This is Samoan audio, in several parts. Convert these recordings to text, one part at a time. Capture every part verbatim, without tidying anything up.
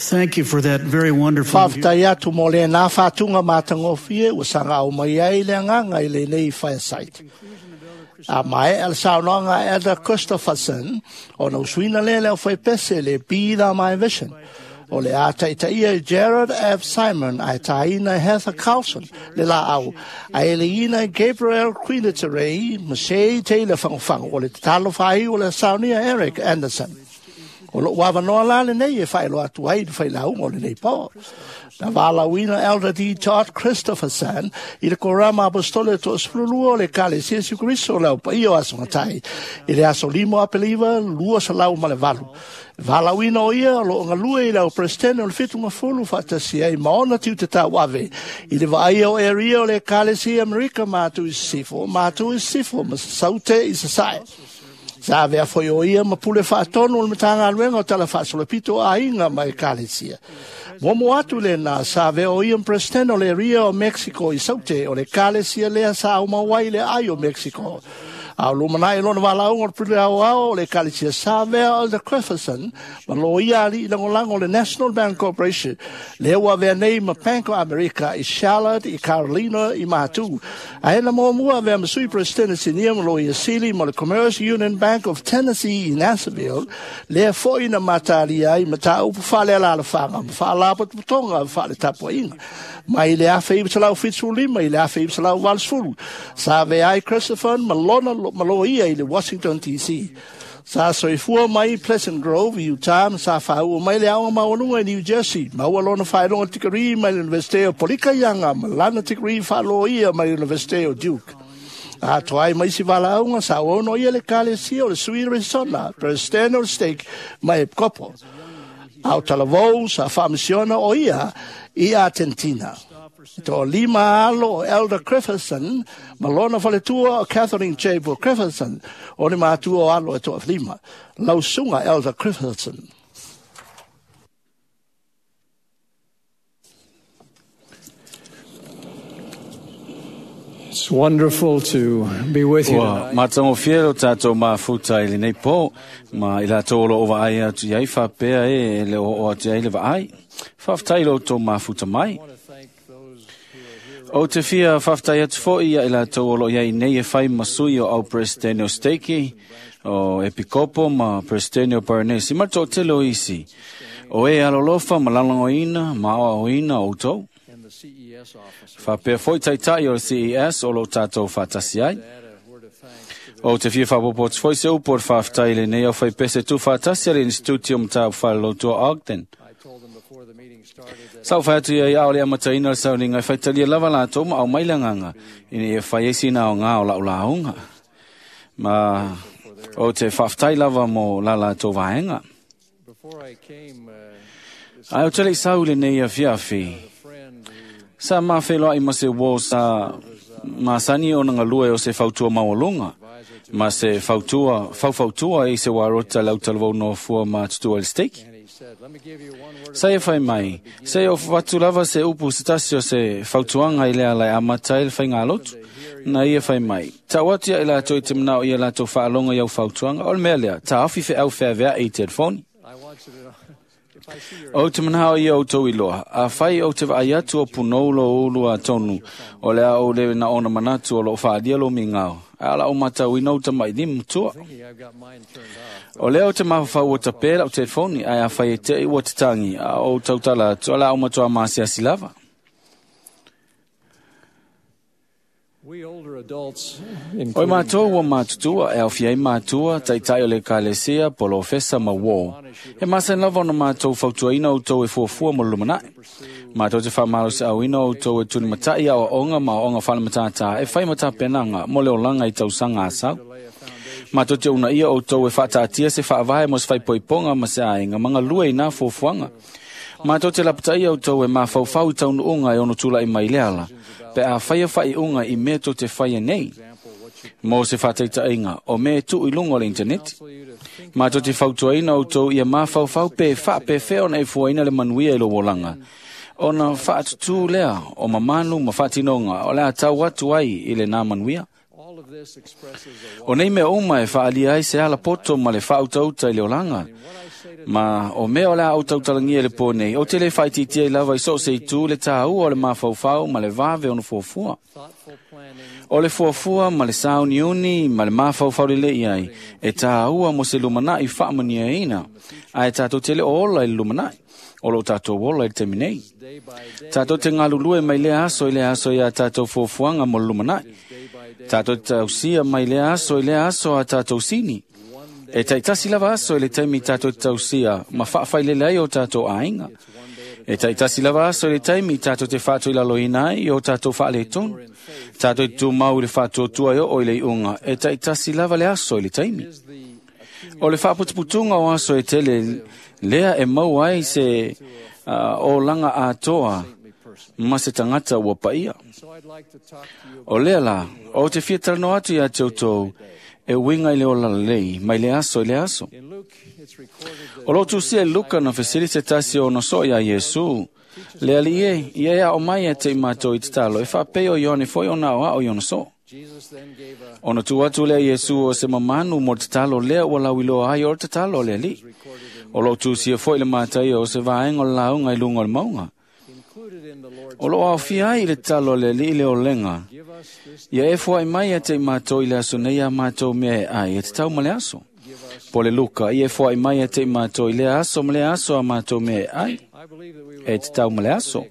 Thank you for that very wonderful. Whawhitai atu mō le nā whātunga mātangofie ua sanga au mai ai le anganga i le nei fireside. A mai al saunoaga Elder Christopherson o na usuina le leo whaipese le Be Thou My Vision. O le a taitaia Gerard F. Simon ai taina Heather Carlson le la au. Ai le ina Gabriel Quiniterei, Masei Taylor Whangofango o le tatalo whai o le saunia Eric Anderson. O lo wawanoa la le nei e whaelo atu ai le whailaunga o le nei pō. Na wālauina Elder D. Todd Christopherson i le korama apostole to sfululua o le kale Jesu Kristo lau pa iyo aso ngatai. I le aso limo apeliva lua salau ma le valu. Wālauina o ia o lo ngalue i lau presidente o le fitu ngafulu whaatasi ai maona tiu te tau ave. I le vaai o area o le kale si Amerika mātu i sifo, mātu i sifo, ma saute i sasae. Sa avea foi o ia ma pule whaatonu o le matanga aluenga o tala whaasolopito a inga mai kalesia. Momo atu le nā sa avea o ia presidente o le ria o Mexico i saute o le kalesia lea sa au mawai le ai o Mexico. A o lumanai lona walaunga o le pule au ao o le kalesia sa avea o le Christopherson ma lo ia ali i langolango le National Bank Corporation le ua avea nei ma Bank of America i Charlotte, i Carolina, i Mātu. A ena mua mua avea masui presidente sinia ma lo ia sili ma le Commerce Union Bank of Tennessee i Nashville lea foi na matalia ai mata upu whale ala ala whanga ma whaalapotopotonga whaale tapuainga. Mai le afe i salau whitsu lima i le afe i salau valsfulu. Sa avea ai Christopher ma lona malo ia i le Washington D C. Sa soifua mai Pleasant Grove i Utah, ma sa whaua mai le aonga mawanunga i New Jersey. Maua lona whaelonga tikari mai le University o Polika Ianga, ma lana tikari whaaloa ia mai le University o Duke. A toai mai si walaunga sa ono ia le kalesia o le Sui Arizona, President o le Stake mai Epkopo. Au talavou sa whaamisiona o ia i Argentina. To lima alo Elder Christopherson, malona whaletua o Catherine J. Christopherson, o ni mātua o alo e toa lima. Lausunga Elder Christopherson. It's wonderful to be with you Ua tonight. matangofie o tātou mafuta i lenei pō, ma i la tō o vaai atu i ai whapea e le o o atu ai le vaai. Whawhtai lo tō mafuta mai. I want to thank those who are here. O te fia whawhtai atu fo ia i la tō olo iai nei e whai masui o au presidente o Steiki, o Epikopo ma presidente o Paranesi, ma tō telo isi. O e alolofa ma lalangoina, ma oaoina o tō. And the C E S officer. Whapea foi taitai o le C E S o lo tātou whātasi ai. Add a word of thanks to the O te fia whapopo atu foi se upo o whawhtai le nei au whai pese tu whātasi a le Instituti o Mtāu Whalalotua Ogden. I told them before the meeting started that Sau whai atu ia au le amataina le sauninga i whaitalia lava lātou ma au mailanganga ina e whai esi nā o ngā o lau launga. Ma o te whawhtai lava mo la lātou vaenga. before I came, uh, this Ai o te lei sau le nei a fiafi. a friend who Sa mawheloa i ma se wō sa masani o nanga lue o se fautua maualunga. Ma se fautua, faufautua i se warota lau talavau no fua ma tutua le stake. and he said, "Let me give you one word of Sa e whai mai, se o watu lava se upu se tasi o se fautuanga i lea lai amatai le whainga alotu. Na ia whai mai. Ta watu ia i lātou i te manao ia lātou whaalonga iau fautuanga. O le mea lea, ta awhi whe au whea vea i te telefoni. I want you to know if I see your O te manao ia o tau iloa, a whai o te vaai atu o punoulo ulu a tonu, o lea o le na ona manatu o lo whaadia lo mi ngao. A ala o matau ina uta mai ni mutua. thinking I've got mine turned off. O lea o te mawhawhau o tapera o te telefoni, ai a whai e te i o te tangi, a o tautala atu, ala o matua maasiasi lava. We older adults, Oi including mātou ua mātutua, e au fiai mātua, taitai o le kalesia, polofesa ma wō. He masan lava ona mātou fautuaina o tau e fuafua mo lumanai. Mātou te whamalo se auina o tau e tuni matai au onga ma onga whale matata, e whai matapenanga mo le olanga i tausanga asau. lay a foundation Mātou te una ia o tau e whaataatia se whaavae mo se whaipoiponga ma se aenga, manga lue i nā fuafuanga. Mātou te lapatai au tau e māwhauwhau i taunu unga e ono tula i mai leala. Pe a whaia whai unga i mea tō te whaia nei. example what you Mō se whātaitainga o me tu i lunga o le internet. counsel you to think Mātou te fautuaina o tau ia māwhauwhau pe wha pe whea ona e fuaina le manuia i lo wolanga. Ona whaatutū lea o mamanu ma whaatinonga o lea tau atu ai i le nā manuia. O nei mea uma e whaalia ai se ala poto ma le whautauta i le olanga. Ma o mea o le a autautalangia i le pō nei, o te le whaititia i lava i so se i tū le tāua o le mafaufau ma le vave o na fuafua. O le fuafua ma le sauniuni ma le mafaufau le lei ai, e tāua mo se lumanai whaamaniaina, a e tātou te le o ola i le lumanai, o lo tātou ola i le taimi nei. Tātou te ngalulue mai le aso i le aso i a tātou fuafuaga mo le lumanai. Tātou te tausia mai le aso i le aso a tātou sini. E taitasi lava aso i le taimi tātou te tausia ma whaawhailele ai o tātou āinga. E taitasi lava aso i le taimi tātou te whātu i laloina ai o tātou whaale tonu. Tātou te tūmau i le whātuatua i o i le iunga. E taitasi lava le aso i le taimi. O le whaaputuputunga o aso e tele lea e mau ai se uh, o langa atoa ma se tangata ua paia. O lea la, o te fia talanoa atu ia te outou, e winga i le ola lelei, mai le aso i le aso. O lo tusia i Luka na fesili se tasi o noso ia Iesu, le ali e, ia ea o mai e te i mātou i te talo, e whaapei o Ioane foi o nao ao i ona so. Ona tu atu lea Iesu o se mamanu mo te talo lea ua lauiloa ai o te talo le ali. O lo tusia foi le mātai o se vaenga o le launga i lunga o le maunga. O lo aofia ai i le talo le li i le olenga. Ia e fuai mai e te i mātou i le aso nei a mātou mea e ai e te tau ma le aso. Po le Luka, ia e fuai mai e te i mātou i le aso ma le aso a mātou mea e ai e te tau ma le aso.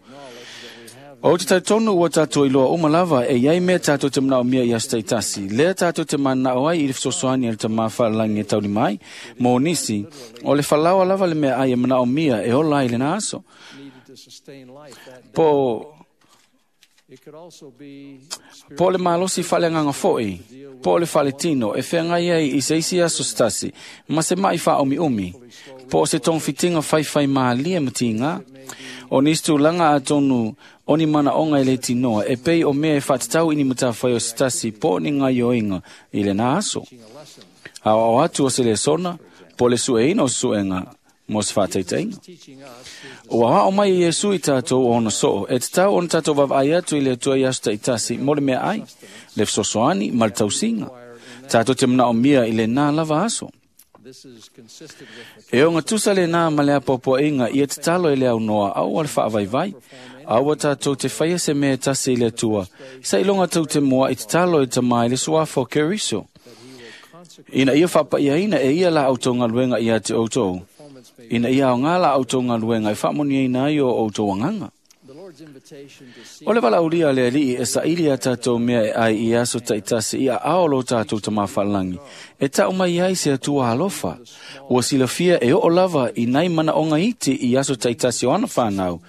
O te tautonu ua tātou i loa uma lava e iai mea tātou te manao mea i aso taitasi. Lea tātou te manao ai i le fesoasoani a le tamā whaalalangi e tauli mai, mō nisi, o le whalawa lava le mea ai e manao mea e ola ai le na aso. Po, po le malosi whaleanganga foi, po le whaletino, e whengai ai i se isi aso stasi, ma se mai wha omi umi, po se tong fitinga whai whai maalia matinga, o nisi tūlanga a tonu o ni mana onga i le tinoa, e pei o mea e whatatau ini matawhai o stasi, po ni ngai oinga i le nā aso. A o atu o se le sona, po le sueina o suenga, mo se whāteiteinga. O a o mai Iesu i tātou o ona soo, e te tau ona tātou vavai atu i le atua i aso taitasi, mo le mea ai, le fesoasoani ma le tausinga. Tātou te manao mia i le nā lava aso. E o ngatusa le nā ma le apoapoainga i e te talo i le au noa, au o le whaavaivai, aua tātou te whaia se mea tasi i le atua, sa ilonga tau te mua i te talo i te mai le suafo Keriso. Ina ia whapaiaina e ia la autou ngaluenga ia te outou. Ina ia o ngā la autou ngaluenga e whaamoniaina ai o outou anganga. O le walaulia le alii e saili a tātou mea e ai i aso taitasi i a ao lo tātou tamawhalangi. E tau mai ai se atua alofa. Ua silafia e oo lava i nai mana onga iti i aso taitasi o ana whanau.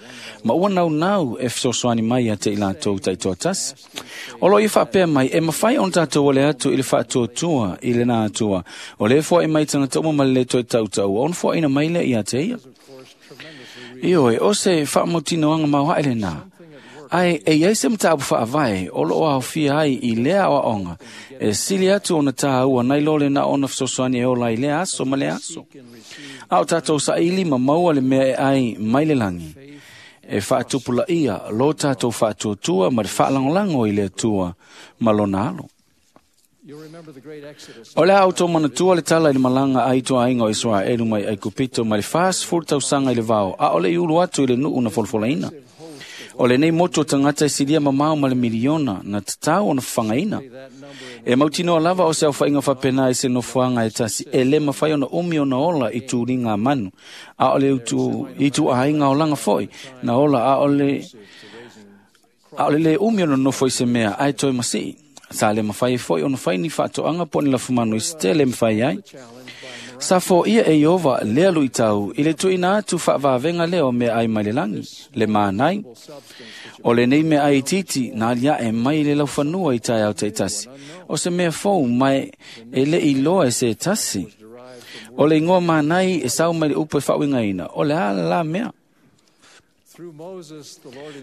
Ma ua nau nau e fesoasoani mai a te i lātou taitoa tasi. O lo i whaapea mai e mawhai on tātou ole atu i le whaatuatua i le nā atua. O le fua e mai tangata uma ma le toe tautau. On fua ina mai le i a te ia. Ioe, o se whaamotinoanga mau haele nā. Ai, e iai se mtaabu whaavae, o lo aofia ai i lea o aonga, e sili atu ona tāua nai lole na ona fesoasoani e ola i lea aso ma le aso. A o tātou saili ma maua le mea e ai mai le langi. E whaatupula ia, lo tātou whaatuatua ma le whaalangolango i le atua ma lona alo. O le auto manatua le tala i le malanga ai toa ainga o Israelu mai ai kupito mai le fas fulu tausanga i le vao, a o le iulu atu i le nuu na folofolaina. O le nei motu o tangata e silia mamao ma le miliona na tatau ona whangaina. E mautinoa lava o se au whainga whapena e se nofuanga e tasi e le mawhai ona umi ona ola i tūringa manu. A o le utu, i tu ainga o langa foi, na ola a o le, a o le le umi ona nofo i se mea ai toi masii. Sa le mawhai e foi ona whai ni whaatoanga po ni lafumanu i se tele mwhai ai. Sa fo ia e Iova lea lui tau i le tuina atu whaavavenga leo mea ai mai le langi, le mānai. O le nei mea ai titi nā lia e mai le laufanua i tai au taitasi. O se mea fou mai e le iloa e se tasi. O le ingoa mānai e sau mai le upo e whaawingaina. O le ala la mea.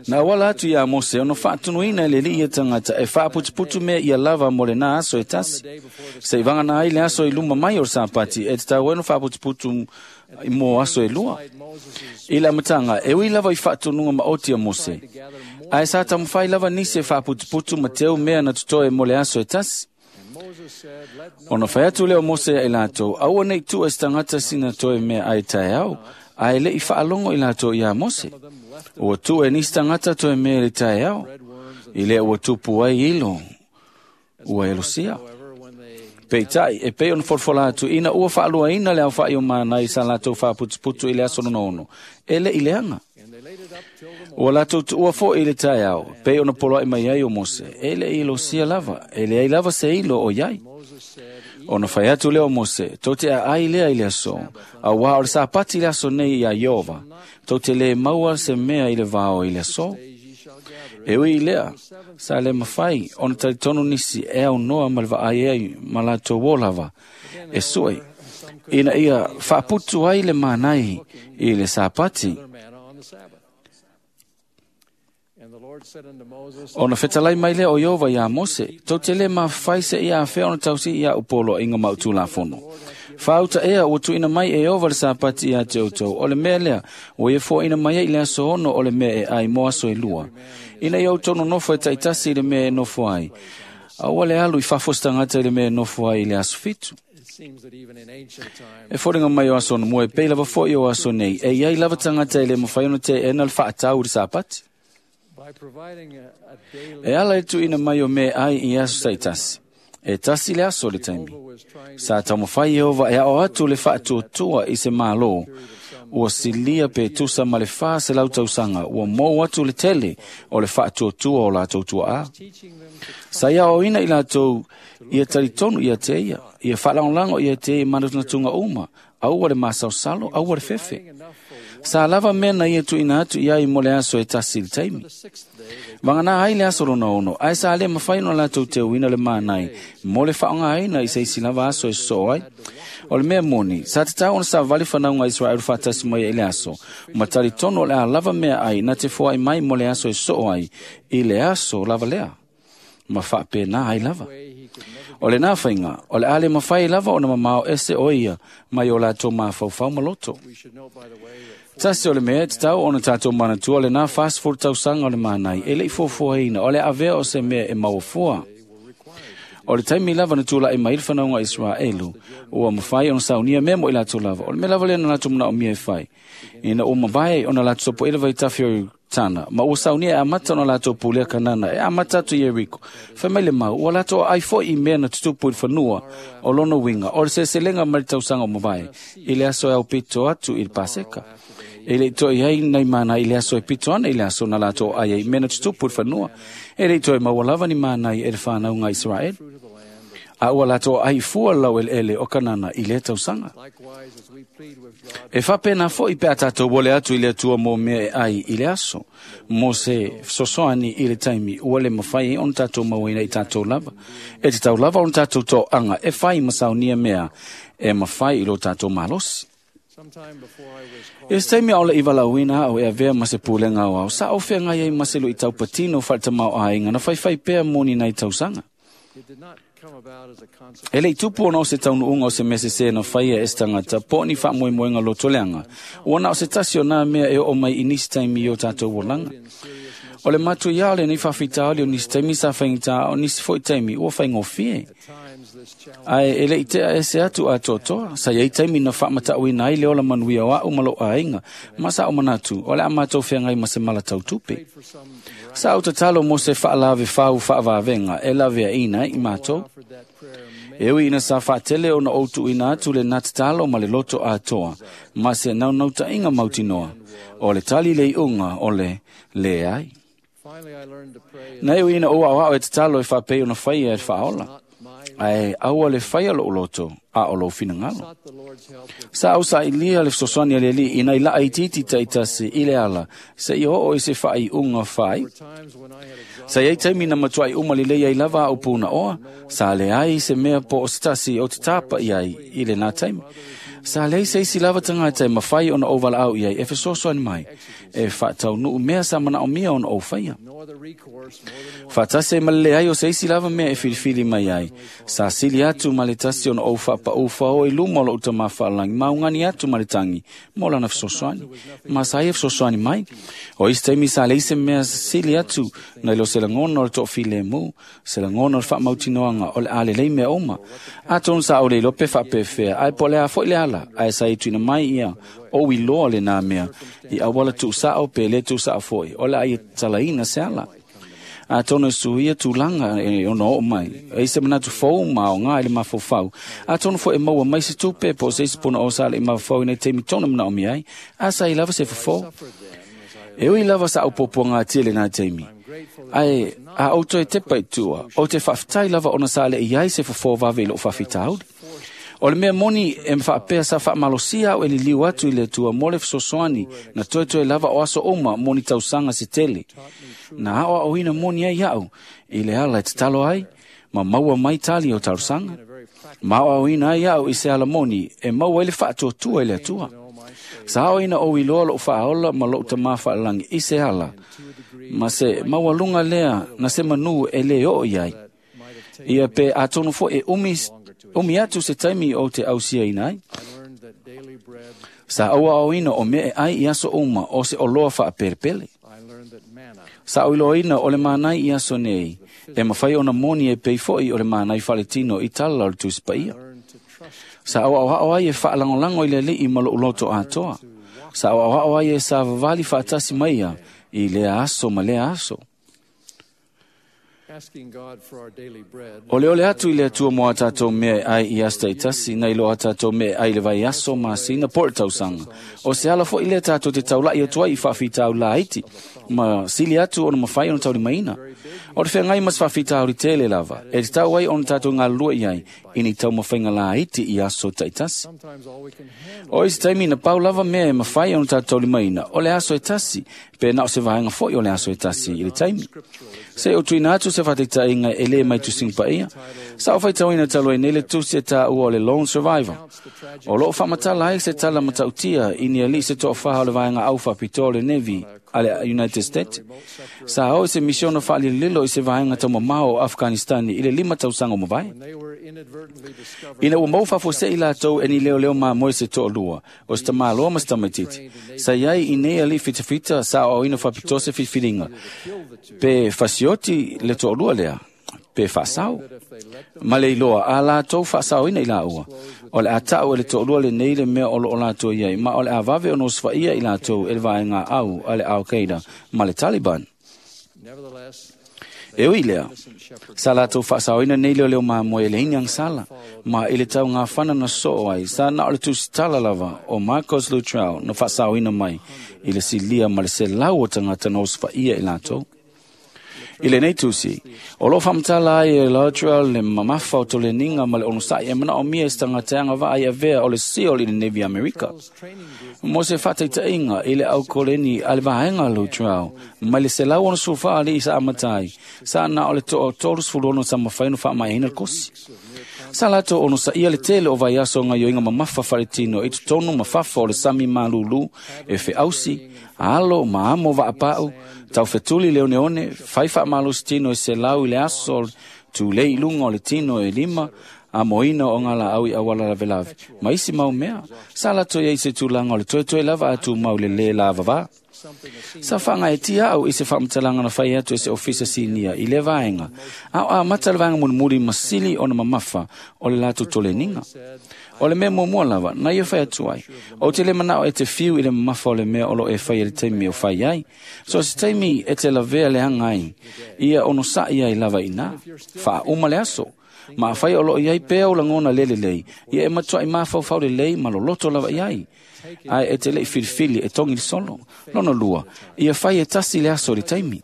Nā wala atu ia Mose, ono whaatunuina le li ia tangata e whaaputuputu mea ia lava mo le nā aso e tasi. Se i vanga nā ai le aso i luma mai o sāpati, e te tau eno whaaputuputu mo aso e lua. I la matanga, e ui lava i whaatununga ma oti a Mose. Ae sa tamwhai lava nisi e whaaputuputu ma teo mea na tutoe mo le aso e tasi. Ona fai atu lea o Mose ia i latou, aua nei tua e se tagata sina toe mea ai taeao, ae le i faalogo i latou iā Mose. Ua tuu e nisi tagata toe mea i le taeao, i lea ua tupu ai ilo, ua elosia. Peitai, e pei ona folafola atu ina ua faaluaina le aofa'i o manai sa latou faaputuputu i le aso lona ono, e le i leaga. Ua latou tuua foi i le taeao, pei ona poloai mai ai o Mose, e le i elosia lava, e leai lava se ilo o iai. Ona fai atu lea o Mose, tou te aai lea i le aso, auā o le Sapati le aso nei iā Ieova, tou te lē maua se mea i le vao i le aso. E ui i lea, sa le mafai ona talitonu nisi e aunoa ma le vaai ai ma latou o lava, e sue, ina ia faaputu ai le manai i le Sapati. Ona fetalai mai lea o Ieova iā Mose, tou te lē mafai seia afea ona tausii ia upoloaiga ma utulafono. Faauta ea ua tuuina mai e Ieova le Sapati ia te outou, o le mea lea, ua ia foaina mai ai i le aso ono o le mea e ai mo aso e lua. Ina ia outou nonofo e taitasi i le mea e nofo ai, aua le alu i fafo se tagata i le mea e nofo ai i le aso fitu. E foliga mai o aso ona mua e pei lava foi o aso nei, e iai lava tagata e lē mafai ona teena le faatau i le Sapati. E ala e tuuina mai o mea ai i aso taitasi. E tasi le aso le taimi. Sa taumafai Ieova e ao atu le faatuatua i se mālō. Ua silia pe tusa ma le fa se lau tausaga, ua mou atu le tele o le faatuatua o latou tuaā. Sa ia aoaoina i latou ia talitonu ia te ia, ia faalagolago ia te ia i manatunatuga uma, aua le masaosalo, aua le fefe. Sa lava mea na ia tuuina atu i ai mo le aso e tasi i le taimi. Vagana ai le aso lona ono, ae sa lē mafai ona latou teuina le manai mo le faaaogāina i se isi lava aso e sosoo ai. O le mea moni, sa tatau ona savali fanauga a Israelu faatasi mai ai i le aso, ma talitonu o le a lava mea ai na te foai mai mo le aso e sosoo ai i le aso lava lea, ma faapena ai lava. O lenā faiga, o le a le mafai lava ona mamao ese o ia mai o latou mafaufau ma loto. Tasi o le mea e tatau ona tatou manatua lenā fasefulu tausaga o le manai e le'i fuafuaina o le avea o se mea e mauafua. O le taimi lava na tula'i mai le fanauga a Israelu, ua mafai ona saunia mea mo i latou lava. O le mea lava lea na latou manaomia e fai, ina ua mavae ona latou sopoela vaitafe o Tana, ma ua saunia e amata ona latou pulea Kanana, e amata atu i Ieriko. Fai mai le mau, ua latou aai foi i mea na tutupu i le fanua o lona uiga, o le seleselega mai le tausaga o mavae, i le aso e aupito atu i le Paseka. E le i toe ai nai manai i le aso e pito ana i le aso na latou aai ai i mea na tutupu i le fanua. E le i toe maua lava ni manai e le fanauga a Israeli. A ua latou aai fua le laueleele o Kanana i lea tausaga. E faapena foi pe a tatou ole atu i le Atua mo mea e ai i le aso, mo se fesoasoani i le taimi ua le mafai ai ona tatou mauaina i tatou lava. E tatau lava ona tatou toaga e fai ma saunia mea e mafai i lo tatou malosi. I se taimi aole i valaauina au e avea ma se pulega aoao, sa ou feagai ai ma se luitau patino faaletamao-aiga na faifai pea mo ni nai tausaga. E le i tupu ona o se taunuuga o se mea sesē na faia e se tagata po o ni faamoemoega lotoleaga, ua na o se tasi o nā mea e oo mai i nisi taimi i o tatou olaga. O le matuiā o lenei faafitauli o nisi taimi sa faigata a o nisi foi taimi ua faigofie. Ae e le i tea ese atu atoatoa, sa iai taimi na faamatauina ai le ola manuia o a'u ma lou aiga, ma sa ou manatu o le a matou feagai ma se mala tautupe. Sa ou tatalo mo se faalave fau faavavega e laveaina ai i matou. E ui ina sa faatele ona ou tuuina atu lenā tatalo ma le loto atoa, ma se naunautaiga mautinoa, o le tali le iuga o le leai. Na e ui ina ou aoao e tatalo e faapei ona faia e le faaola, ae aua le faia lou loto a o lou finagalo. Sa ou sailia le fesoasoani a le Alii ina i laa itiiti taitasi i le ala seia oo i se faaiuga faaiu. Sa iai taimi na matuai uma lelei ai lava a'u punaoa, sa leai se mea po o se tasi ou te tapa i ai i lenā taimi. Sa leai se isi lava tagata e mafai ona ou valaau i ai e fesoasoani mai, e faataunuu mea sa manaomia ona ou faia. Faatasi ai ma le leai o se isi lava mea e filifili mai ai, sa sili atu ma le tasi ona ou faapaū fao i luma o lou Tamā Faalagi ma augani atu ma le tagi mo lana fesoasoani. Ma sa ia fesoasoani mai. O isi taimi sa leai se mea sili atu nai lo se lagona o le toafilemu, se lagona o le faamautinoaga o le a lelei mea uma. Atonu sa ou le iloa pe faapefea, ae po o le a foi le ala, ae sa i tuuina mai ia ou iloa lenā mea i auala tuusao pe le tuusao foi, o le a ia talaina se ala. Atonu e suia tulaga e ono oo mai, e se manatu fou ma aoga i le mafaufau. Atonu foi e maua mai se tupe po o se isi punaoa sa le i mafaufau i nei taimi tonu e manaomia ai, a sa i lava se fofo. E ui lava sa aupuapuagatia i lenā taimi, ae a ou toe tepa i tua, ou te faafetai lava ona sa le i ai se fofo vave i lou faafitauli. O le mea moni e faapea sa faamalosia au e liliu atu i le Atua mo le fesoasoani na toetoe lava o aso uma mo ni tausaga se tele. Na aoaoina moni ai au i le ala e tatalo ai ma maua mai tali o talosaga. Ma aoaoina ai au i se ala moni e maua ai le faatuatua i le Atua. Sa aoaina ou iloa lou faaola ma lou Tamā Faalagi i se ala, ma se maualuga lea na se manu e lē oo i ai. Ia pe atonu foi e umi, umi atu se taimi ou te ausiaina ai. Sa ou aoaoina o mea e ai i aso uma o se oloa faapelepele. Sa ou iloaina o le manai i aso nei, e mafai ona moni e pei foi o le manai faaletino i tala o le Tusi Paia. Sa ou aoao ai e faalagolago i le Alii ma lou loto atoa. Sa ou aoao ai e savavali faatasi mai ia i lea aso ma lea aso. O le ole atu i le Atua mo a tātou mea e ai i aso taitasi, nai lo a tātou mea e ai le vaiaso, masina, po o le tausaga. O se ala foi lea tātou te taulai atu ai i faafitauli laiti, ma sili atu ona mafai ona taulimaina. O le feagai ma se faafitauli tele lava, e tatau ai ona tātou galulue i ai i ni taumafaiga laiti i aso taitasi. O isi taimi na pau lava mea e mafai ona tātou taulimaina, o le aso e tasi, pe na o se vaega foi o le aso e tasi i le taimi. Se o tuuina atu se faataitaiga e lē mai Tusiga Paia, sa ou faitauina talu ai nei le tusi e taua o le Lone Survivor. O loo faamatala ai se tala matautia i ni alii se toafaha o le vaega au faapitoa o le Navy a le United States. Sa o i se misiona faalililo i se vaega taumamao o Afghanistani i le lima tausaga o mavae. Ina ua mau faafuasei latou e ni leoleo mamoe se toalua, o se tamāloa ma se tamaititi. Sa iai i nei alii fitafita sa aoaoina faapitoa se filifiliga, pe fasioti le toalua lea, pe faasao. Ma le iloa a latou faasaoina i laua, o le a tau e le toalua lenei le mea o loo latou i ai, ma o le a vave ona osofai'a i latou e le vaega au a le Al-Qaeda ma le Taliban. E ui lea, sa latou faasaoina nei leoleo mamoe e leai ni agasala, ma i le taugafana na soo ai, sa na o le tusitala lava o Marcos Luttrell na faasaoina mai i le silia ma le selau o tagata na osofaia i latou. I lenei tusi, o loo faamatala ai e Luttrell le mamafa o toleniga ma le onosa'i e manaomia i se tagata e agavaa i avea o le SEAL i le Navy Amerika. Mo se faataitaiga i le aukoleni a le vaega Luttrell, mai le selau onosefulufa alii sa amata ai, sa na o le toa tolusefulu ono sa mafai ona faamaeaina le kosi. Sa latou onosaia le tele o vaiaso o gaioiga mamafa faaletino i totonu ma fafo o le sami malūlū e feausi, alo ma amo vaapau, taufetuli le oneone, fai faamalosi tino e selau i le aso tulei i luga o le tino e lima, amoina o ngā laau i auala lavelave, ma isi mau mea, sa latou i ai se tulaga o le toetoe lava a tumau le lē lavavā. Sa faagaetia au i se faamatalaga na fai atu e se ofisa sinia i le vaega, a o amata le vaega mulimuli ma sili ona mamafa o le latou toleniga. O le mea muamua lava, na ia fai atu ai, ou te le manao e te fiu i le mamafa o le mea o loo e fai e le taimi o fai ai. So se taimi e te lavea le aga ai, ia onosa'i ai lava inā, faauma le aso. Ma afai o loo i ai pea o lagona le lelei, ia e matuai mafaufau lelei ma loloto lava i ai. Ae e te lei filifili e togi le solo. Lona lua, ia fai e tasi le aso i le taimi.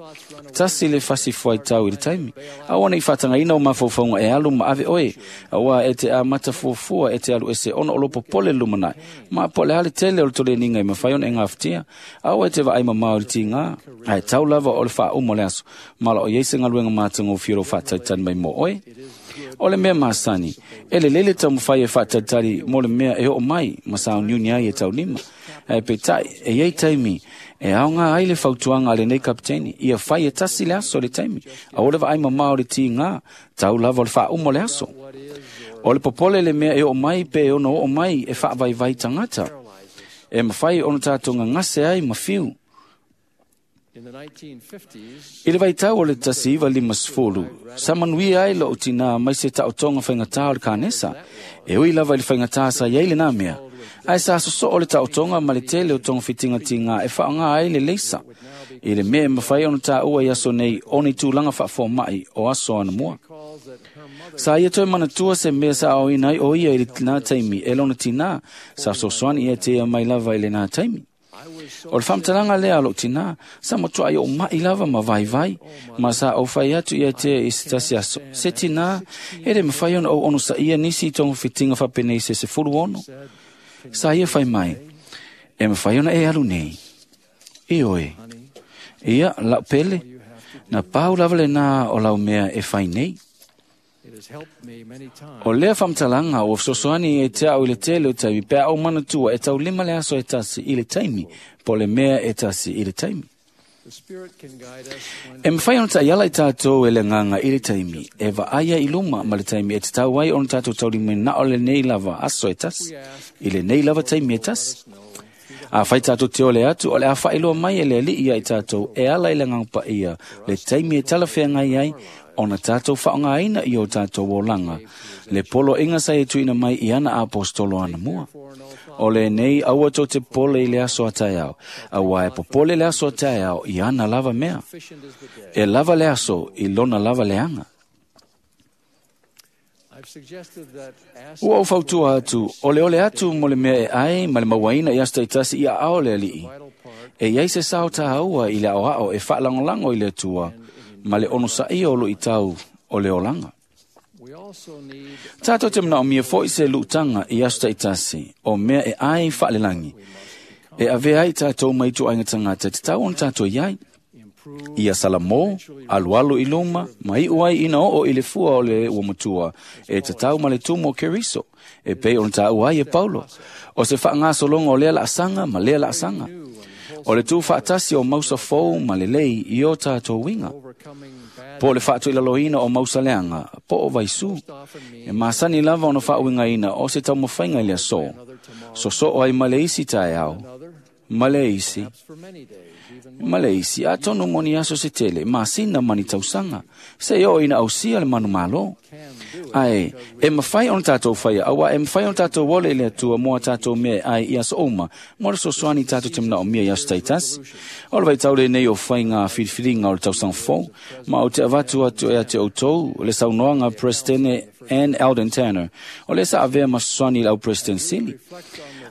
Tasi le fasifuaitau i le taimi. Aua nei faatagaina o mafaufauga e alu ma ave oe, auā e te amata fuafua e te alu ese ona o loo popole le lumanai. Ma po o le a le tele o le toleniga e mafai ona e gafatia. Aua e te vaai mamao i le tigā, ae tau lava o le faauma o le aso, ma loo i ai se galuega matagofie o loo faataitani mai mo oe. O le mea masani, e le lele taumafai e faatalitali mo le mea e oo mai ma sauniuni ai e taulima. Ae peitai, e iai taimi e aoga ai le fautuaga a lenei kapiteni, ia fai e tasi le aso le taimi, aua le vaai mamao o le tiga, tau lava o le faauma o le aso. O le popole le mea e oo mai pe ono oo mai e faavaivai tagata. E mafai ona tatou gagase ai ma fiu. I le vaitau o le tasi iva lima sefulu, sa manuia ai lou tinā mai se taotoga faigatā o le kanesa. E ui lava i le faigatā sa iai lenā mea. Ae sa sosoo le taotoga ma le tele o togafitigatigā e faaaogā ai le leisa. I le mea e mafai ona taua i aso nei o ni tulaga faafomaʻi o aso anamua. Sa ia toe manatua se mea sa aoina ai o ia i lenā taimi e lona tinā, sa fesoasoani ia te ia mai lava i lenā taimi. O le faamatalaga lea a lou tinā, sa matuai ou maʻi lava ma vaivai, ma sa ou fai atu ia te i se tasi aso. Se tinā, e le mafai ona ou onosaia nisi i togafitiga faapenei se sefulu ono. Sa ia fai mai, e mafai ona e alu nei. Ioe, ia lau pele, na pau lava lenā o lau mea e fai nei. O lea faamatalaga ua fesoasoani e te au i le tele o taimi pe a ou manatua e taulima le aso e tasi i le taimi, po o le mea e tasi i le taimi. E mafai ona taiala i tatou e le agaga i le taimi, e vaaia i luma ma le taimi e tatau ai ona tatou taulimaina o lenei lava aso e tasi, i lenei lava taimi e tasi. Afai tatou te ole atu, o le a faailoa mai e le Alii ia i tatou e ala i le agaga paia, le taimi e talafeagai ai, ona tatou faaaogaina i o tatou olaga, le poloaiga sa e tuuina mai i ana aposetolo anamua. O lenei aua tou te popole i le aso a taeao, auā e popole le aso a taeao i ana lava mea. E lava le aso i lona lava leaga. Ua ou fautua atu, o le ole atu mo le mea e ai ma le mauaina i aso taitasi i aao le Alii. E iai se sao tāua i le aoao e faalagolago i le Atua ma le onosaia o luitau o le olaga. Tatou te manaomia foi se luutaga i aso taitasi o mea e ai faalelagi. E avea ai tatou mai ituaiga tagata e tatau ona tatou iai. Ia Salamo, alualu i luma, ma iu ai ina oo i le fua o le ua matua, e tatau ma le tumu o Keriso, e pei ona taua ai e Paulo. O se faagasologa o lea laasaga ma lea laasaga. O le tuufaatasi o mausa fou ma lelei i o tatou uiga. Po o le faatuilaloina o mausa leaga, po o vaisū. E masani lava ona faauigaina o se taumafaiga i le aso. Sosoo ai ma le isi taeao, ma le isi, ma le isi, atonu mo ni aso se tele, masina ma ni tausaga, se oo ina ausia le manumalo. Ae, e mafai ona tatou faia, auā e mafai ona tatou ole i le Atua mo a tatou mea e ai i aso uma, mo le fesoasoani tatou te manaomia i aso taitasi. O le vaitau lenei o faiga filifiliga o le tausaga fou, ma ou te avatu atu e ate outou le saunoaga Presidente Ann Eldon Tanner, o lea sa avea ma fesoasoani i le au President sili.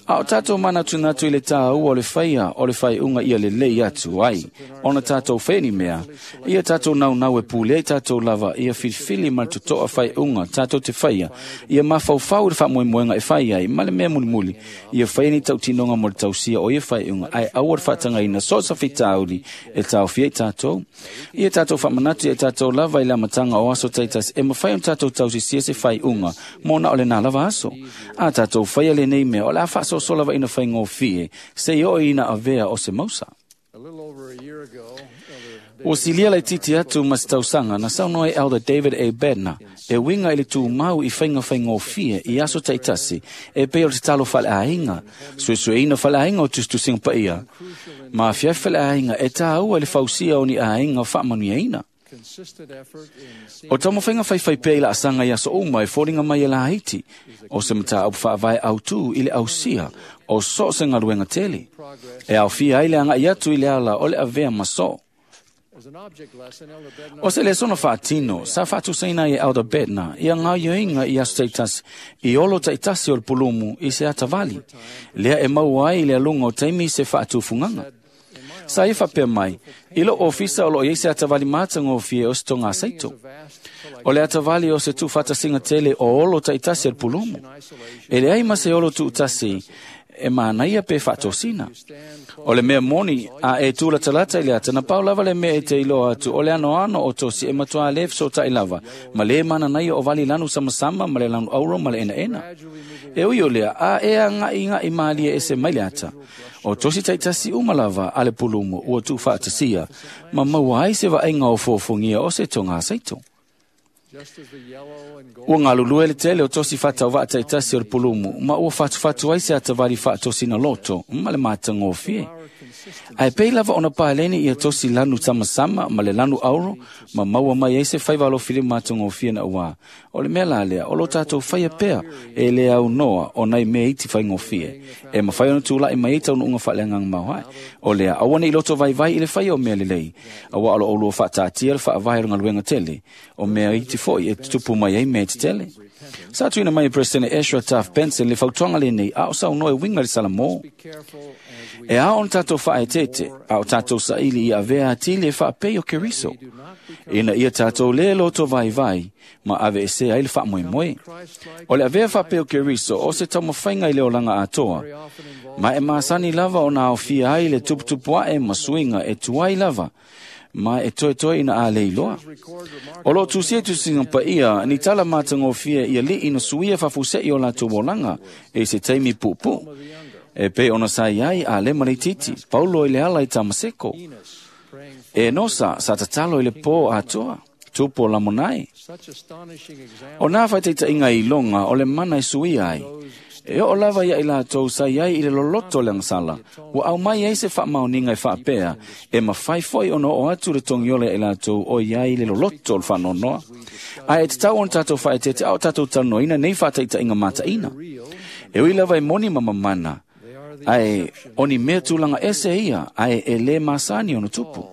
A o tatou manatunatu i le tāua o le faia o le faaiuga ia lelei atu ai, ona tatou faia ni mea, ia tatou naunau e pule ai tatou lava, ia filifili ma le totoa faaiuga tatou te faia, ia mafaufau i le faamoemoega e fai ai, ma le mea mulimuli, ia faia ni tautinoga mo le tausia o ia faaiuga, ae aua le faatagaina so o se fitauli e taofia i tatou. Ia tatou faamanatu ia tatou lava i le amataga o aso taitasi, e mafai ona tatou tausisia se faaiuga mo na o lenā lava aso. A tatou faia lenei mea, o le a faasoaso lava ina faigofie, se oo ina avea o se mausa. Ua silia laitiiti atu ma se tausaga na saunoa ai Elder David A. Bednar e uiga i le tumau i faiga faigofie i aso taitasi e pei o le tatalo faaleaiga, suesueina faaleaiga o tusitusiga paia, ma afiafi faaleaiga e tāua i le fausia o ni aiga faamanuiaina. O taumafaiga faifai pea i laasaga i aso uma e foliga mai e laiti, o se mataupu faavae autū i le ausia o so o se galuega tele. E aofia ai le agai atu i le ala o le avea ma soo. O se lesona faatino, sa faatusaina ai e Elder Bednar ia gaoioiga i aso taitasi i olo taitasi o le pulumu i se atavali, lea e maua ai i le aluga o taimi se faatufugaga. Sa ia faapea mai, i lou ofisa o loo iai se atavali matagofie o se togasaito. O le atavali o se tuufaatasiga tele o olo taitasi o le pulumu. E leai ma se olo tuutasi e manaia pe faatosina. O le mea moni a e tulatalata i le ata na pau lava le mea e te iloa atu o le anoano o tosi e matuā le fesota'i lava ma lē mananaia o vali lanu samasama ma le lanu auro ma le enaena. E ui o lea a e aga'iga'i malie ese mai le ata. O tosi ta'itasi uma lava a le pulumu ua tuufaatasia ma maua ai se vaaiga o fofogia o se togā saito. Ua galulue le tele o tosi faatauva'a ta'itasi o le pulumu ma ua fatufatu ai se atavali faatosina loto ma le matagofie. Ae pei lava ona paleni ia tosi lanu samasama ma le lanu auro ma maua mai ai se faiva alofilima matagofie na uā. O le mea la lea o lo tatou faia pea e le aunoa o nai mea iti faigofie. E mafai ona tula'i mai ai taunu'uga faaleagaga maoae. O lea aua nei loto vaivai i le faia o mea lelei. Auā o lo oulua faataatia le faavae o le galuega tele. O mea iti fo'i e tutupu mai ai mea tetele. Sa tuuina mai e Peresetene Ezra Taft Benson le fautuaga lenei a o saunoa e uiga i le Salamo. E ao ona tatou faaeteete, a o tatou saili ia avea atili e faapei o Keriso. Ina ia tatou lē loto vaivai ma aveesea ai le faamoemoe. O le avea faapei o Keriso o se taumafaiga i le olaga atoa, ma e masani lava ona aofia ai le tuputupuaʻe ma suiga e tuai lava, ma e toetoe ina a le iloa. O loo tusia tusiga paia ni tala matagofie ia li'i na suia faafuse'i o latou olaga e se taimi puupuu. E pei ona sa iai a lema leititi, Paulo i le ala i Tamaseko. E nosa sa tatalo i le pō atoa, tupu o Lamonai. O nā faitaitaiga i iloga o le mana e suia ai. E oo lava ia i latou sa iai i le loloto o le agasala, ua aumai ai se faamaoniga e faapea, e mafai fo'i ona oo atu le togiola ia i latou o iai le loloto o le faanoanoa. Ae e tatau ona tatou faaeteete a o tatou talanoaina nei faataitaiga mataina. E ui lava e moni ma mamana, ae o ni mea tulaga ese ia, ae e lē masani ona tupu.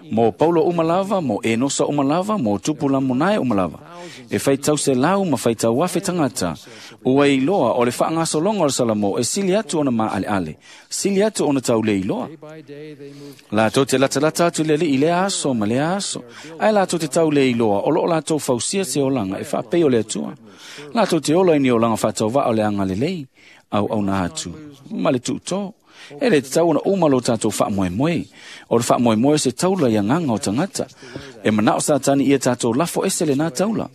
Mo Paulo uma lava, mo Enosa uma lava, mo tupu Lamonae uma lava. E faitau se lau ma faitau afe tagata, ua iloa o le faagasologa o le Salamo e sili atu ona maaleale, sili atu ona taulē iloa. Latou te latalata atu i le Alii i lea aso ma lea aso, ae latou te taulē iloa o loo latou fausia se olaga e faapei o le Atua. Latou te ola i ni olaga faatauva'a o le agalelei, auauna atu ma le tuutō. E le tatau ona uma lo tatou faamoemoe. O le faamoemoe se taula i agaga o tagata. E manao Satani ia tatou lafo ese lenā taula.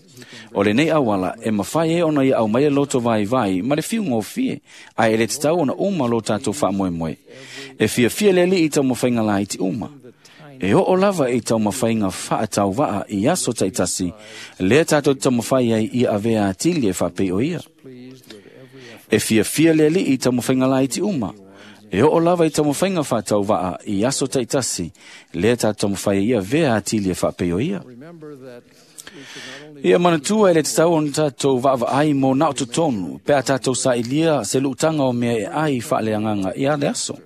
O lenei auala e mafai ai ona ia aumaia loto vaivai ma le fiugofie, ae e le tatau ona uma lo tatou faamoemoe. E fiafia le Alii i taumafaiga laiti uma. E oo lava i taumafaiga faatauva'a i aso ta'itasi, lea tatou te taumafai ai ia avea atili e faapei o ia. E fiafia le Alii i taumafaiga laiti uma. E oo lava i taumafaiga faatauva'a i aso ta'itasi, lea tatou taumafai ai ia avea atili e faapei o ia. Ia manatua e le tatau ona tatou vaavaai mo na o totonu, pe a tatou sailia se lu'utaga o mea e ai faaleagaga ia le aso.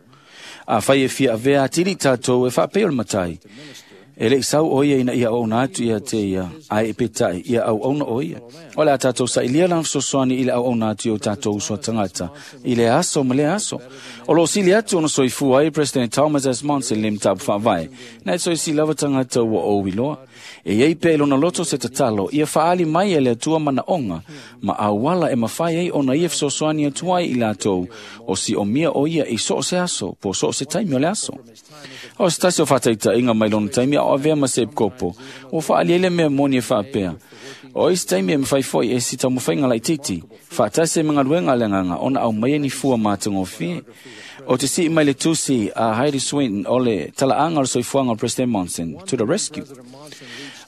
Afai e fia avea atili tatou e faapei o le matai. E le'i sau o ia ina ia auauna atu ia te ia, ae e peta'i ia auauna o ia. O le a tatou sailia lana fesoasoani i le auauna atu i o tatou uso a tagata, i le aso ma le aso. O loo sili atu ona soifua ai President Thomas S. Monson le mataupu faavae, na e soisi lava tagata ua ou iloa. E iai pea i lona loto se tatalo, ia faaali mai e le Atua manaoga, ma auala e mafai ai ona ia fesoasoani atu ai i latou, o siomia o ia i so o se aso, po so o se taimi o le aso. O se tasi o faataitaiga mai lona taimi a o avea ma se epikopo, ua faaali ai le mea moni e faapea. O isi taimi e mafai fo'i e si taumafaiga laitiiti, faatasi ai ma galuega a le agaga ona aumaia ni fua matagofie. O te sii mai le tusi a Heidi Swinton o le talaaga o le soifuaga o President Monson to the rescue.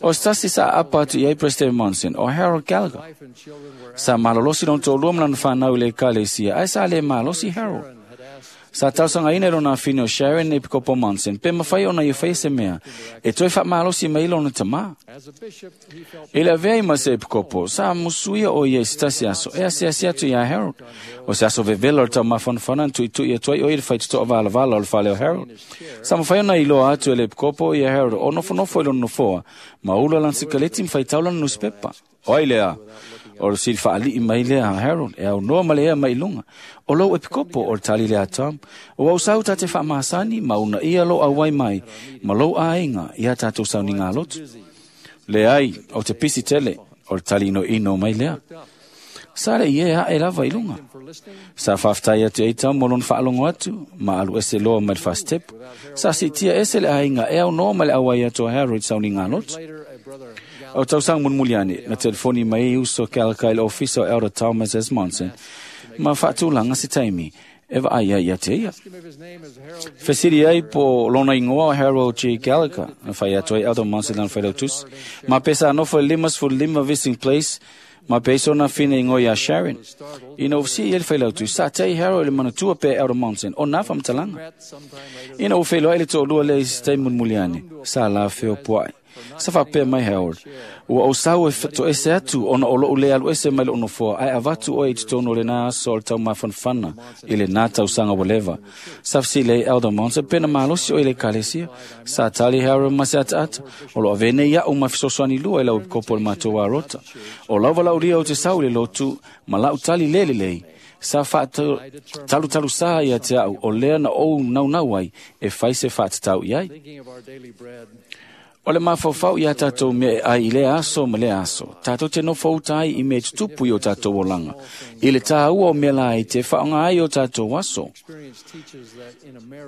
O se tasi sa aapa atu i ai President Monson o Harold Gallagher. Sa malolosi lona toalua ma lana fanau i le ekalesia, ae sa lē malosi Harold. Sa tausagaina i lona afine o Sharon Epikopo Monson, pe mafai ona ia faia se mea e toe faamalosi mai lona tamā. I le avea i ma se epikopo, sa musuia o ia i se tasi aso e asiasi atu iā Harold. O se aso vevela o le taumafanafana na tuitui atu ai o ia i le faitotoa valavala o le fale o Harold. Sa mafai ona iloa atu e le epikopo ia Harold o nofonofo i lona nofoa, ma ula lana sikaleti ma faitau lana nusipepa. O ai lea? O le sili faalii mai lea a Harold, e aunoa ma le ea mai i luga. O lou epikopo o le tali lea a Tom. O au sau tate faamasani ma una ia lo auai mai, ma lou aiga ia tatou sauniga lotu. Leai, o te pisi tele, o le tali inoino mai lea. Sa le ie a e lava i lunga. Sa whaftai atu e tau molon whaalongo atu, ma alu ese loa mai le fastep. Sa sitia ese le ainga e au noa ma le awai atu a Harold sauni ngā lotu. O tau sang munmuliani, na telefoni mai e uso ke alaka i le ofisa o Elder Thomas S. Monson, ma whaatulanga si taimi, e wa ai ia te ia. Fesiri ai po lona ingoa o Harold G. Gallagher, na whai atu ai Elder Monson lana whailautusi. Ma pesa anofo e limas fu lima Vissing Place, ma peso na fina ingoa ia Sharon. Ina ofisi i ele whailautusi, sa tei Harold le manatua pe Elder Monson, o nā whamtalanga. Ina o whailoa ele tō lua le isi tei munmuliani, sa la whio puai. Sa whapea mai Harold, ua o sau e to ese atu ona o lou le alu ese mai le onofoa, ai avatu oe i totonu le nā aso o le tau mafanfana i le nā tausanga ua leva. Sa whasile Elder Monson, pena malosi o i le kalesia, sa tali Harold ma se ata ata, o lo avene ia o mafisosoani lua i lau kopo le mātou arota. O lauva lauria o te sau le lotu, ma lau tali lele lei, sa wha talu talu sa ia te au o lea na ou nau nau ai e whai se whaatatau i ai. O le mafaufau ia tātou mea e ai i le aso ma le aso. Tātou te nofo uta ai i mea tutupu i o tātou olanga. I le tāua o mea la ai te whaonga ai o tātou aso.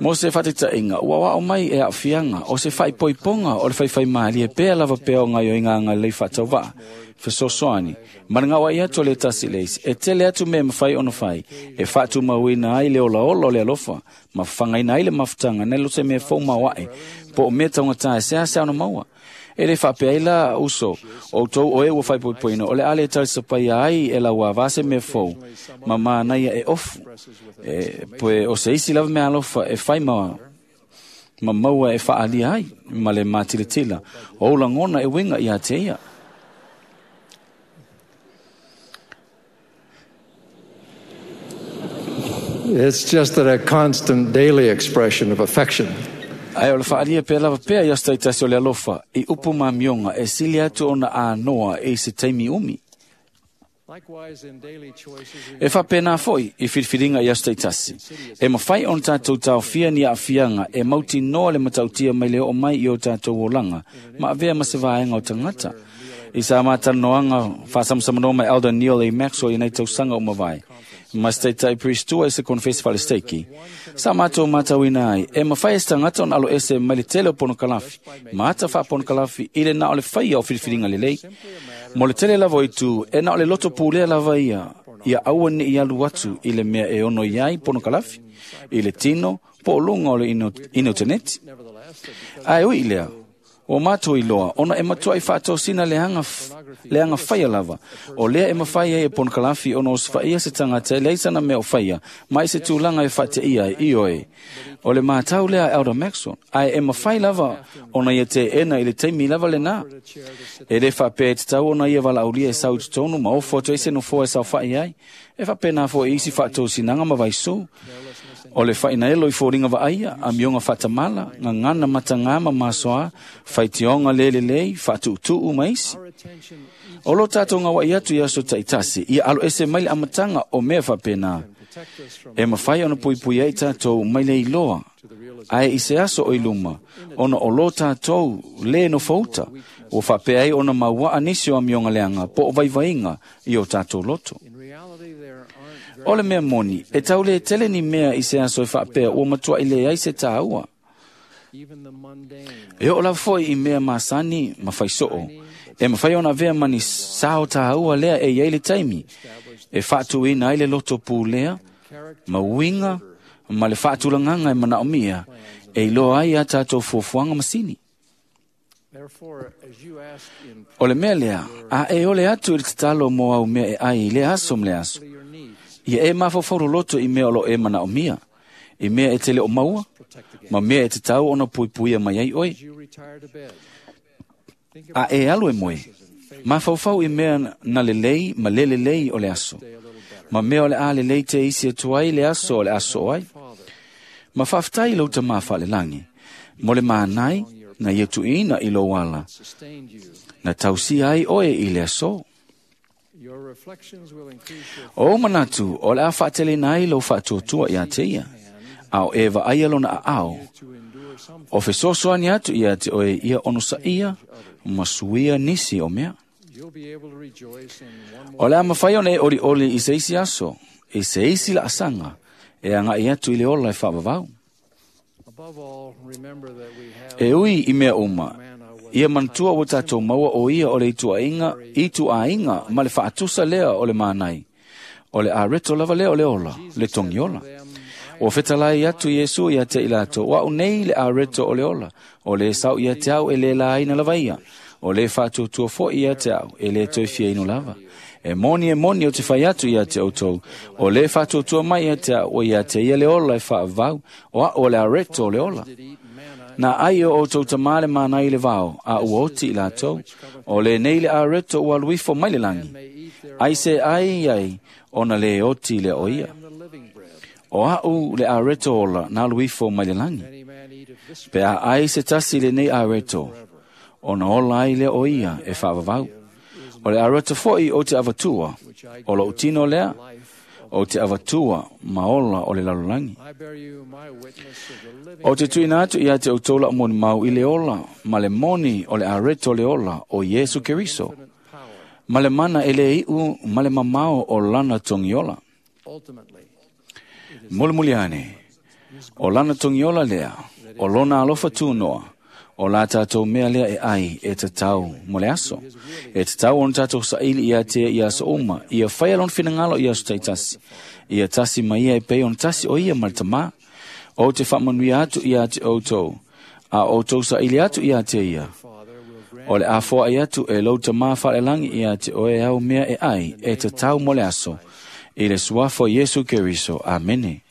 Mo se whatitainga, ua wao mai e awhianga, o se whaipoiponga o le whaiwhai maali e pēa lava pēa o ngai o inga anga lei whatau waa. Fesosoani, marangawa ia to le tasi leisi, e tele atu me mawhai ono whai, e whatu mauina ai le ola ola o le alofa, ma whangaina ai le mafutanga, ne lo se mea fau mawae, po o mea taungata e sea sea ono maua. E le whapea i la uso, o tau o e ua whaipoipoina, o le ale talisapai ai e la ua vase mea fau, ma mānaia e ofu, e, poe o se isi lava mea alofa e whai maua, ma maua e whaalia ai, ma le mātilatila, o ulangona e winga i a te ia. It's just that a constant daily expression of affection. Ai o le whaalia pē lava pēa i astai tasi o le alofa, i upu mā mionga e sili atu ona ānoa e se taimi umi. E whapēnā foi i whiriwhiringa i astai tasi. E mawhai on tātou tāwhia ni awhianga e mauti noa le matautia mai le o mai i o tātou olanga, ma avea ma se vaenga o tangata. I sa mātanoanga whaasamsamano mai Elder Neil A. Maxwell i nei tausanga o mawai. Mas taitai priestua e se konfesi falesteiki. Sa mātou mātauina ai, e mawhai e stangata on alo ese mai le tele o ponokalafi. Maata wha ponokalafi i le na o le whaia o whiriwhiringa le lei. Mo le tele lava i tū, e na o le loto pūlea lava ia, ia aua ni i alu atu i le mea e ono iai ponokalafi, i le tino, po o lunga o le ino, ino teneti. Ai ui lea, o mātou i loa, ona e matua i whaatosina le hanga, le hanga whaia lava. O lea e mawhai e ponokalafi ona o swaia se tangata e leisana mea o whaia, mai se tūlanga e whate ia e ioe. O le mātau lea Elder Maxwell, ai e mawhai lava ona ia te ena i le teimi lava le nā. E le whapea te tau ona ia walaulia e sau tonu ma o foto e se no foa e sau whai ai. E whapea nā fo e isi whaatosinaga ma vaisu. O le whaina elo i fōringa wa aia, a mionga whatamala, ngā ngana matangā ma masoa, whaitionga lele lei, whatuutuu maisi. O lo tātou ngā wai atu i aso taitasi, ia alo ese mai le amatanga o mea whapena. E mawhai ona puipui ai tātou mai le iloa, ai i se aso o iluma, ona o lo tātou le no whauta, o whapea ai ona maua anisi o a mionga leanga, po o vaivainga i o tātou loto. O le mea moni, e tau le tele ni mea i se aso e whapea o matua i le ai se tāua. E o la foi i mea masani ma whaisoo. E mawhai ona vea mani sao tāua lea e iei le taimi. E whaatuina ai le loto pū lea, ma uinga, ma le whaatulanganga e manaomia, e iloa ai a tātou fuafuaga masini. O le mea lea, a e ole atu i le tatalo mo au mea e ai i le aso ma le aso. Ia e mafaufau loto i mea o lo e manaomia, i mea e tele o maua, ma mea e te tau ona puipuia mai ai oe. A e alu e moe, mafaufau i mea na lelei ma le lelei o le aso, ma mea o le a lelei te isi atu ai le aso o le aso o ai. Ma whaftai lau ta mawha le langi, mo le mānai na ia tuina i lo ala, na tausi ai oe i le aso. O manatu, o le a whaatele nai lau whaatuatua ia te ia, ao e wa ai alona a ao. O fesosoani atu ia te oe ia ono sa ia, ma suia nisi o mea. O le a mafai ona e olioli i se isi aso, i se isi laasaga, e agaʻi atu i le ola e faavavau. E ui i mea uma, ia manatua ua tatou maua o ia o le ituaiga, ituaiga ma le faatusa lea o le manai. O le areto lava lea o le ola, le togiola. Ua fetalai atu Iesu ia te i latou, o au nei le areto o le ola, o le sau ia te au e le laina lava ia, o le faatuatua foi ia te au e le toe fiainu lava. E moni e moni o te fai atu ia te outou, o le faatuatua mai ia te au o ia te ia le ola e faavavau, o au o le areto o le ola. Na ai o outou tamā le mana i le vao, a ua oti i latou, o le nei le areto ua alu ifo mai le lagi. Ai se ai ai, ona le oti le o ia. O au le areto ola na alu ifo mai le lagi. Pe a ai se tasi le nei areto, ona ola ai le o ia e faavavau. O le areto foi o te avatua, o lou tino lea, o te avatua ma ola o le lalolagi. O te tuuina atu ia te outou lau molimau i le ola, ma le moni o le areto o le ola o Iesu Keriso, ma le mana e le iu ma le mamao o lana togiola. Mulimuli ane, o lana togiola lea, o lona alofa tunoa, o la tātou mea lea e ai e tatau mo le aso. E tatau ona tātou saili ia te ia aso uma, ia whai lona finagalo i aso taitasi. Ia tasi ma ia e pei ona tasi o ia ma le tamā. O te faamanuia atu ia te outou, a outou saili atu ia te ia. O le afoa i atu e lou tamā whalelangi ia te oe au mea e ai e tatau mo le aso. I le suafa o Iesu Keriso. Amene.